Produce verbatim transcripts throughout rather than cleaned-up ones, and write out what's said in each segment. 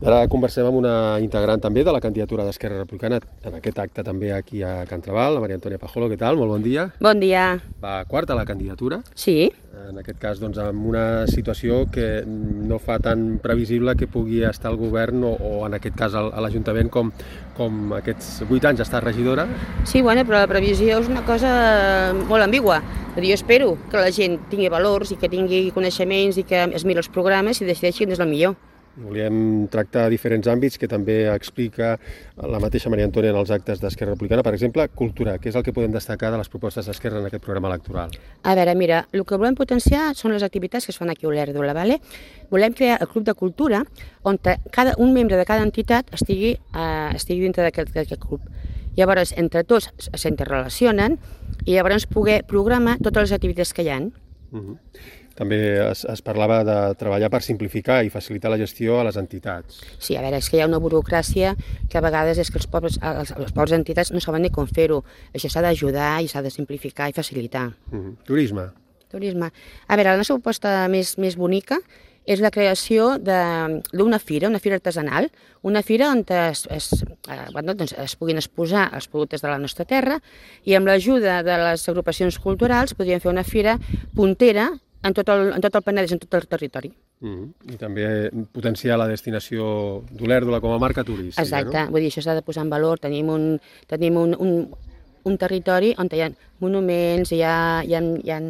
Ara conversem amb una integrant també de la candidatura d'Esquerra Republicana, en aquest acte també aquí a Can Trabal, la Maria Antònia Pajolo. Què tal? Molt bon dia. Bon dia. Va quarta a la candidatura. Sí. En aquest cas, doncs, amb una situació que no fa tan previsible que pugui estar al govern o, o en aquest cas a l'Ajuntament com, com aquests vuit anys està regidora. Sí, bueno, però la previsió és una cosa molt ambigua. Jo espero que la gent tingui valors i que tingui coneixements i que es miri els programes i decideixi quin és el millor. Volíem tractar diferents àmbits que també explica la mateixa Maria Antònia en els actes d'Esquerra Republicana. Per exemple, cultura, que és el que podem destacar de les propostes d'Esquerra en aquest programa electoral. A veure, mira, el que volem potenciar són les activitats que es fan aquí a Olèrdola, ¿vale? Volem crear el Club de Cultura on cada, un membre de cada entitat estigui, eh, estigui dintre d'aquest club. Llavors, entre tots s'interrelacionen i llavors poder programar totes les activitats que hi ha. Uh-huh. També es, es parlava de treballar per simplificar i facilitar la gestió a les entitats. Sí, a veure, és que hi ha una burocràcia que a vegades és que els pobres, els, les pobres entitats no saben ni com fer-ho. Això s'ha d'ajudar i s'ha de simplificar i facilitar. Uh-huh. Turisme. Turisme. A veure, la nostra proposta més, més bonica és la creació d'una fira, una fira artesanal, una fira on es, es, eh, bueno, doncs es puguin exposar els productes de la nostra terra i amb l'ajuda de les agrupacions culturals podríem fer una fira puntera en tot el, en tot el Penedès, en tot el territori. Mm-hmm. I també potenciar la destinació d'Olèrdola com a marca turística. Exacte, no? Vull dir, això s'ha de posar en valor. Tenim un, tenim un, un, un territori on hi ha monuments, hi ha, hi ha, hi ha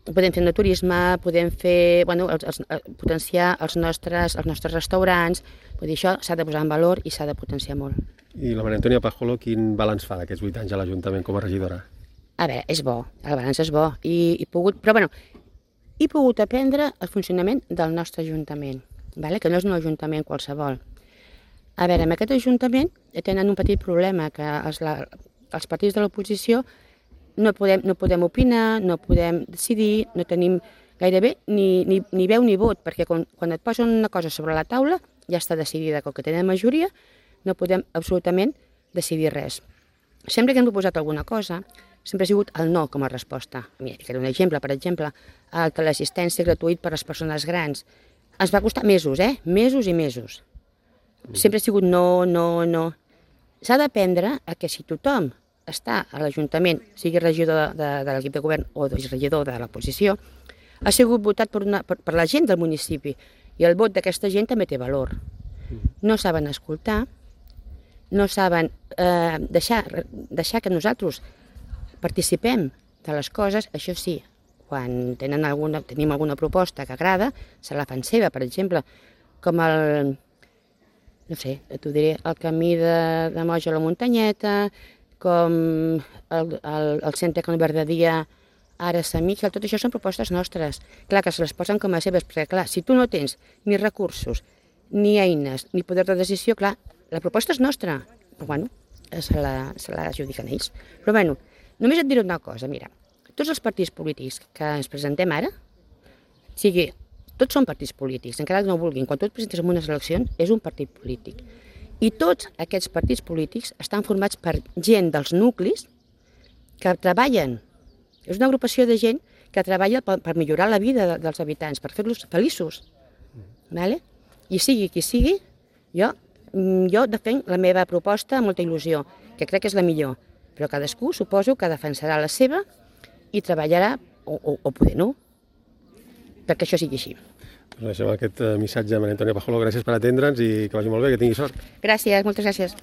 podem fer de turisme, podem fer, bueno, els, els, potenciar els nostres, els nostres restaurants. Vull dir, això s'ha de posar en valor i s'ha de potenciar molt. I la Maria Antònia Pajolo, quin balanç fa d'aquests vuit anys a l'Ajuntament com a regidora? A veure, és bo, el balanç és bo, i, i pogut, però bueno, he pogut aprendre el funcionament del nostre Ajuntament, vale? Que no és un Ajuntament qualsevol. A veure, en aquest Ajuntament tenen un petit problema, que els, la, els partits de l'oposició no podem, no podem opinar, no podem decidir, no tenim gairebé ni, ni, ni veu ni vot, perquè quan, quan et posen una cosa sobre la taula ja està decidida, com que tenen majoria, no podem absolutament decidir res. Sempre que hem proposat alguna cosa, sempre ha sigut el no com a resposta. Mira, ficaré un exemple, per exemple, el teleassistència gratuït per a les persones grans. Ens va costar mesos, eh? Mesos i mesos. Sempre ha sigut no, no, no. S'ha d'aprendre a que si tothom està a l'Ajuntament, sigui regidor de, de, de l'equip de govern o regidor de l'oposició, ha sigut votat per, una, per, per la gent del municipi i el vot d'aquesta gent també té valor. No saben escoltar, no saben eh, deixar, deixar que nosaltres participem de les coses. Això sí, quan tenen alguna, tenim alguna proposta que agrada, se la fan seva, per exemple, com el, no sé, t'ho diré, el camí de, de Moja a la Muntanyeta, com el, el, el centre Can Verdadia, ara Sant Miquel, tot això són propostes nostres. Clar, que se les posen com a seves, perquè clar, si tu no tens ni recursos, ni eines, ni poder de decisió, clar, la proposta és nostra, però bueno, se la, se la adjudiquen ells. Però bueno, només et diré una cosa, mira, tots els partits polítics que ens presentem ara, sigui, tots són partits polítics, encara que no vulguin, quan tu et presentes en unes eleccions és un partit polític. I tots aquests partits polítics estan formats per gent dels nuclis que treballen. És una agrupació de gent que treballa per, per millorar la vida de, dels habitants, per fer-los feliços. Vale? I sigui qui sigui, jo, jo defenc la meva proposta amb molta il·lusió, que crec que és la millor. Però cadascú suposo que defensarà la seva i treballarà, o, o, o poder no, perquè això sigui així. Doncs deixem aquest missatge a Maria Antònia Pajolo. Gràcies per atendre'ns i que vagi molt bé, que tingui sort. Gràcies, moltes gràcies.